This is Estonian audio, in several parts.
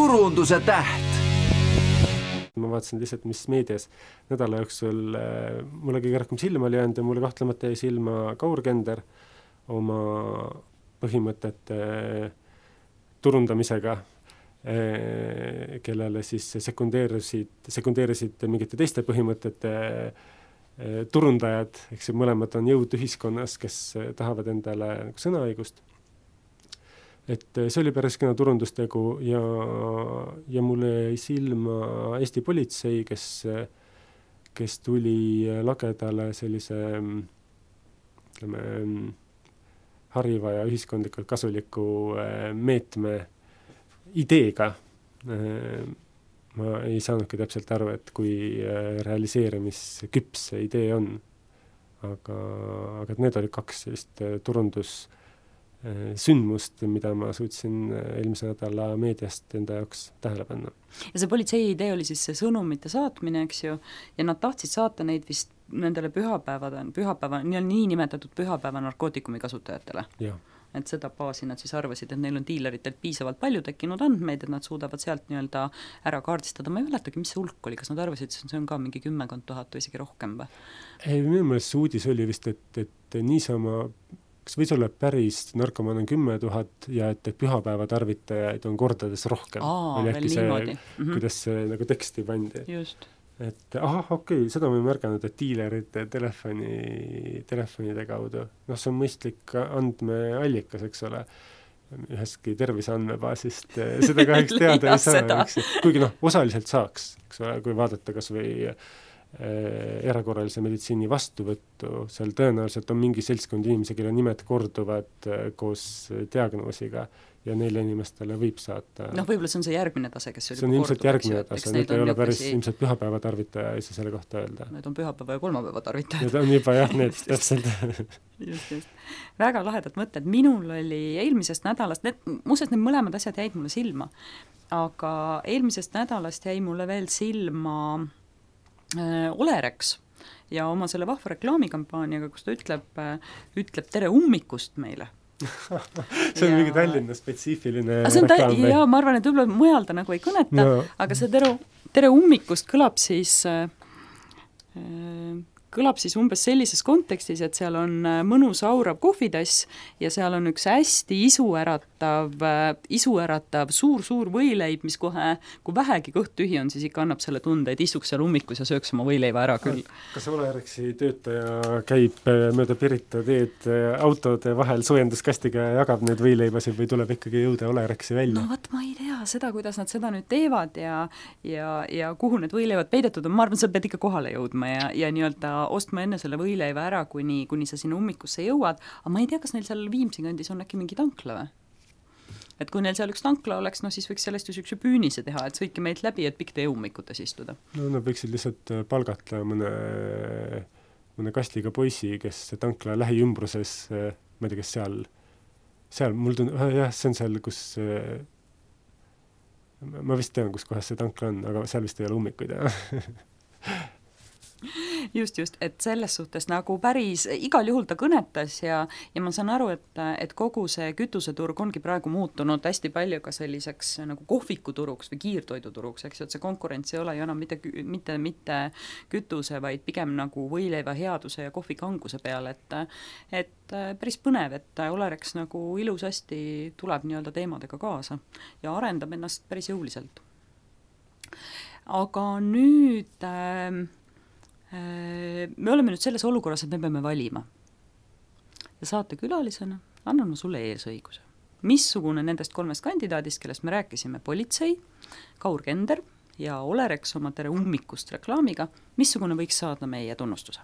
turunduse täht. Ma vaatasin lihtsalt, mis meedias nädala jooksul mulle kõige rohkem silma oli jäänud ja mulle kahtlemata jäi silma Kaur Kender oma põhimõtete turundamisega, kellele siis sekundeerisid mingite teiste põhimõtete turundajad, eks mõlemad on jõud ühiskonnas, kes tahavad endale sõnaõigust. Et see oli päris kena turundustegu ja mulle jäi silma Eesti politsei, kes tuli lagedale sellise hariva ja ühiskondlikult kasuliku meetme ideega. Ma ei saanudki täpselt aru, et kui realiseerimisküps see idee on. Aga need olid kaks sellist turundussündmust, mida ma suutsin eelmise nädala meediast enda jaoks tähele panna. Ja see politsei idee oli siis see sõnumite saatmine, eks ju, ja nad tahtsid saata neid vist nendele nii nimetatud pühapäeva narkootikumi kasutajatele. Ja. Et seda baasi nad siis arvasid, et neil on diileritelt piisavalt palju tekkinud andmeid, et nad suudavad sealt nii-öelda ära kaardistada. Ma ei mäletagi, mis see hulk oli, kas nad arvasid, et see on ka mingi 10 000 või isegi rohkem või? Minu meelest see uudis oli vist, et niisama, kas võis olla päris narkomaan on 10 000 ja et pühapäeva tarvitajaid on kordades rohkem. Veel niimoodi. Kuidas see nagu teksti pandi. Just. Et okei, seda ma ei märganud, et diilerite telefonide kaudu. See on mõistlik andmeallikas, eks ole, ühestki terviseandmebaasist. Seda kahjuks teada ei saa. Kuigi osaliselt saaks, eks ole, kui vaadata kas või erakorralise meditsiini vastuvõttu, seal tõenäoliselt on mingi seltskond inimesi, kelle nimed korduvad koos diagnoosiga ja neile inimestele võib saata. Võib-olla see on see järgmine tase, kes see on ilmselt järgmine tase, nüüd ei ole päris ilmselt pühapäeva tarvitaja, ei saa selle kohta öelda. Need on pühapäeva ja kolmapäeva tarvitajad. Need on juba need täpselt. Just. Väga lahedad mõtted. Minul oli eelmisest nädalast, muuseas need mõlemad asjad jäid mulle silma, aga eelmisest nädalast jäi mulle veel silma Olerex ja oma selle vahva reklaamikampaaniaga, kus ta ütleb tere ummikust meile. See on mingi Tallinna spetsiifiline reklaam. Ja ma arvan, et võib-olla mujal ta nagu ei kõneta, aga see tere ummikust kõlab siis umbes sellises kontekstis, et seal on mõnus aurav kohvitass ja seal on üks hästi isuäratav suur võileib, mis kohe, kui vähegi kõht tühi on, siis ikka annab selle tunde, et istuks seal ummikus ja sööks oma võileiva ära küll. Kas Olerexi töötaja käib mööda Pirita teed autode vahel soojenduskastiga ja jagab need võileibasid või tuleb ikkagi jõuda Olerexi välja? Ma ei tea seda, kuidas nad seda nüüd teevad ja kuhu need võileivad peidetud on. Ma arvan, sa pead ikka kohale jõudma ja nii-öelda ostma enne selle võileiva ära, kuni sa sinna ummikusse jõuad, aga ma ei tea, kas neil seal Viimsi kandis on äkki mingi tankla või? Et kui neil seal üks tankla oleks, siis võiks sellest ju sükse püünise teha, et sõitke meilt läbi, et pikk tee ummikutes istuda. Nad võiksid lihtsalt palgata mõne kastiga poisi, kes tankla lähiümbruses, ma ei tea, kes seal mul see on seal, kus ma vist tean, kus kohas see tankla on, aga seal vist ei ole ummikuid, Just, et selles suhtes nagu päris igal juhul ta kõnetas ja ma saan aru, et kogu see kütuseturg ongi praegu muutunud hästi palju ka selliseks nagu kohvikuturuks või kiirtoiduturuks, eks ju, et see konkurents ei ole ju enam mitte kütuse, vaid pigem nagu võileiva headuse ja kohvikanguse peale, et päris põnev, et Olerex nagu ilusasti tuleb nii-öelda teemadega kaasa ja arendab ennast päris jõuliselt. Aga nüüd me oleme nüüd selles olukorras, et me peame valima. Ja saatekülalisena annan ma sulle eesõiguse. Missugune nendest 3 kandidaadist, kellest me rääkisime, politsei, Kaur Kender ja Olerex oma tere ummikust reklaamiga, missugune võiks saada meie tunnustuse?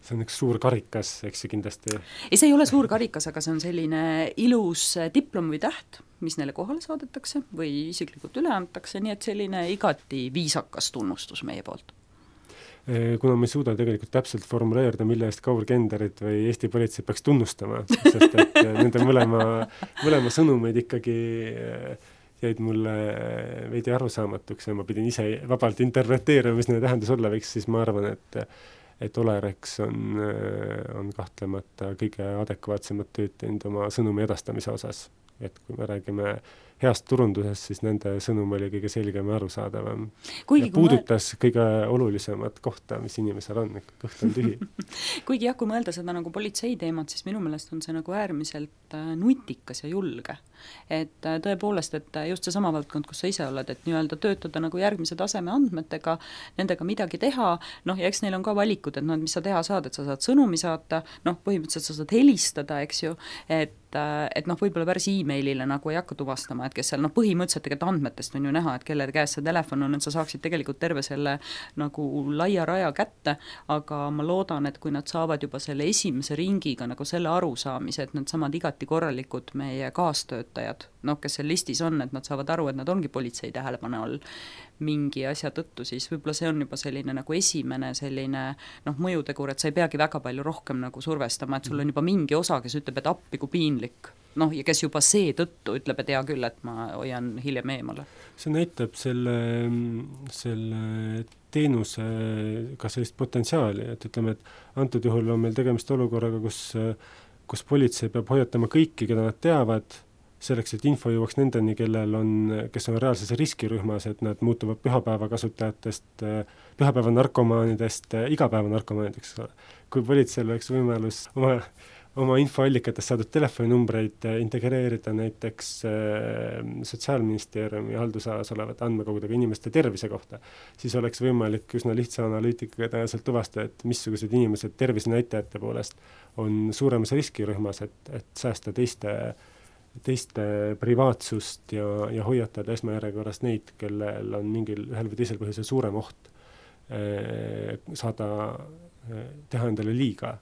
See on üks suur karikas, eks see kindlasti. Ei, see ei ole suur karikas, aga see on selline ilus diplom või täht, mis neile kohale saadetakse või isiklikult üle antakse, nii et selline igati viisakas tunnustus meie poolt. Kuna me ei suuda tegelikult täpselt formuleerida, mille eest Kaur Kenderit või Eesti politsei peaks tunnustama, sest et nende mõlema sõnumeid ikkagi jäid mulle veidi arusaamatuks ja ma pidin ise vabalt interpreteerima, mis nende tähendus olla võiks, siis ma arvan, et Olerex on kahtlemata kõige adekvaatsemat tööd teinud oma sõnumi edastamise osas. Et kui me räägime heast turundusest, siis nende sõnum oli kõige selgem ja arusaadavam. Kuigi, ja puudutas kõige olulisemat kohta, mis inimesel on, kõht on tühi. Kuigi jah, kui mõelda seda nagu politsei teemat, siis minu meelest on see nagu äärmiselt nutikas ja julge. Et tõepoolest, et just see sama valdkond, kus sa ise oled, et nii-öelda töötada nagu järgmise taseme andmetega, nendega midagi teha, noh, ja eks neil on ka valikud, et noh, mis sa teha saad, et sa saad sõnumi saata, noh, põhimõtteliselt sa saad helistada, eks ju, et noh, võib-olla päris e-mailile nagu ei hakka tuvastama, et kes seal, noh, põhimõtteliselt tegelikult andmetest on ju näha, et kelle käes see telefon on, et sa saaksid tegelikult terve selle nagu laia raja kätte, aga ma loodan, et kui nad saavad juba selle esimese ringiga nagu selle arusaamise, et nad samad igati korralikud meie kaastöötajad, noh, kes seal listis on, et nad saavad aru, et nad ongi politsei tähelepanu all mingi asja tõttu, siis võib-olla see on juba selline nagu esimene selline noh, mõjutegur, et sa ei peagi väga palju rohkem nagu survestama, et sul on juba mingi osa, kes ütleb, et appi kui piinlik, noh, ja kes juba seetõttu ütleb, et hea küll, et ma hoian hiljem eemale. See näitab selle teenuse ka sellist potentsiaali, et ütleme, et antud juhul on meil tegemist olukorraga, kus politsei peab hoiatama kõiki, keda nad teavad, selleks, et info jõuaks nendeni, kes on reaalses riskirühmas, et nad muutuvad pühapäeva kasutajatest, pühapäeva narkomaanidest, igapäeva narkomaanideks. Kui politseil oleks võimalus oma infoallikatest saadud telefoninumbreid integreerida näiteks Sotsiaalministeeriumi haldusalas olevate andmekogudega inimeste tervise kohta, siis oleks võimalik üsna lihtsa analüütikaga tõenäoliselt tuvastada, et missugused inimesed tervisenäitajate poolest on suuremas riskirühmas, et säästa teiste privaatsust ja hoiatada esmajärjekorras neid, kellel on ühel või teisel põhjusel suurem oht saada teha endale liiga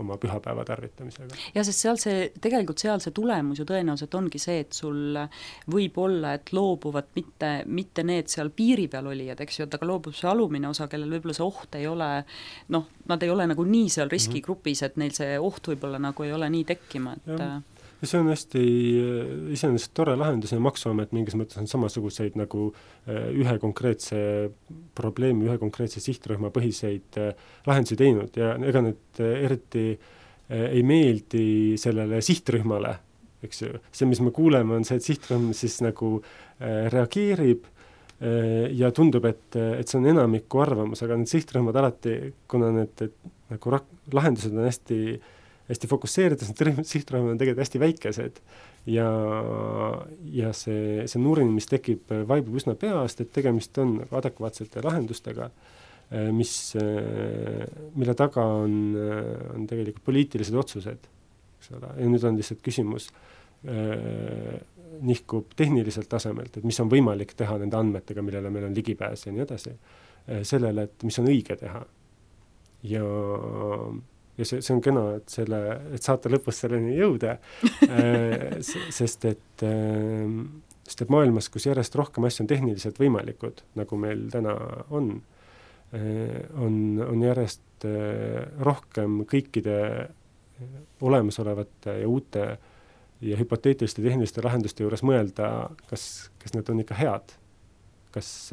oma pühapäeva tarvitamisega. Ja sest tegelikult seal see tulemus ju tõenäoliselt ongi see, et sul võib olla, et loobuvad mitte need seal piiri peal olijad, eks ju, et aga loobub see alumine osa, kellel võib-olla see oht ei ole, noh, nad ei ole nagu nii seal riskigrupis, et neil see oht võib-olla nagu ei ole nii tekkima, et ja see on hästi iseenesest tore lahendus ja Maksuamet mingis mõttes on samasuguseid nagu ühe konkreetse probleemi, ühe konkreetse sihtrühma põhiseid lahendusi teinud ja ega need eriti ei meeldi sellele sihtrühmale, eks ju. See, mis me kuuleme, on see, et sihtrühm siis nagu reageerib ja tundub, et see on enamiku arvamus, aga need sihtrühmad alati, kuna need nagu lahendused on hästi fokusseerides, need sihtrühmad on tegelikult hästi väikesed ja see nurin, mis tekib, vaibub üsna peast, et tegemist on adekvaatsete lahendustega, mille taga on tegelikult poliitilised otsused, eks ole, ja nüüd on lihtsalt küsimus nihkub tehniliselt tasemelt, et mis on võimalik teha nende andmetega, millele meil on ligipääs ja nii edasi, sellele, et mis on õige teha. Ja see on kena, et saate lõpus selleni jõuda, sest et maailmas, kus järjest rohkem asju on tehniliselt võimalikud, nagu meil täna on järjest rohkem kõikide olemasolevate ja uute ja hüpoteetiliste tehniliste lahenduste juures mõelda, kas need on ikka head, kas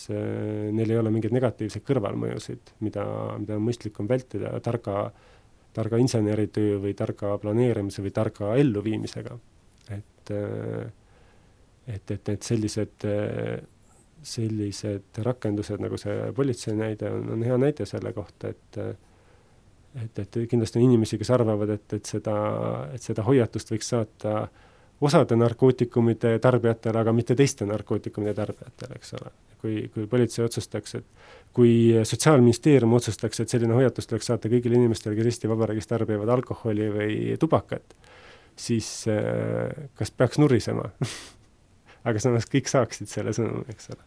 neil ei ole mingeid negatiivseid kõrvalmõjusid, mida on mõistlikum vältida targa inseneritöö või targa planeerimise või targa elluviimisega. Et sellised rakendused, nagu see politsei näide on hea näide selle kohta, et kindlasti on inimesi, kes arvavad, et seda hoiatust võiks saata osade narkootikumide tarbijatele, aga mitte teiste narkootikumide tarbijatele, eks ole. Kui politsei otsustaks, et kui Sotsiaalministeerium otsustaks, et selline hoiatus tuleks saata kõigile inimestele, kes Eesti Vabariigis tarbivad alkoholi või tubakat, siis kas peaks nurisema? Aga samas kõik saaksid selle sõnumi, eks ole.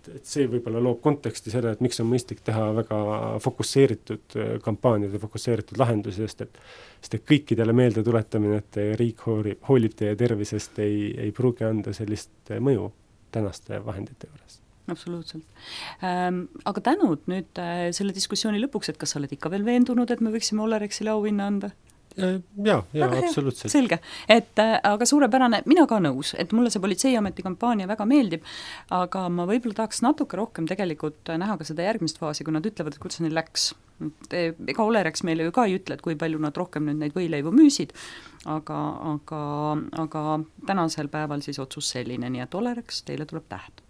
Et see võib-olla loob konteksti selle, et miks on mõistlik teha väga fokusseeritud kampaaniad ja fokusseeritud lahendusi, sest et kõikidele meelde tuletamine, et riik hoolib teie tervisest, ei pruugi anda sellist mõju tänaste vahendite juures. Absoluutselt. Aga tänud nüüd selle diskussiooni lõpuks, et kas sa oled ikka veel veendunud, et me võiksime Olerexile auhinna anda? Jaa, absoluutselt. Selge, et aga suurepärane, mina ka nõus, et mulle see politseiameti kampaania väga meeldib, aga ma võib-olla tahaks natuke rohkem tegelikult näha ka seda järgmist faasi, kui nad ütlevad, et kuidas neil läks. Ega Olerex meile ju ka ei ütle, et kui palju nad rohkem nüüd neid võileivu müüsid, aga tänasel päeval siis otsus selline, nii et Olerex, teile tuleb tähed.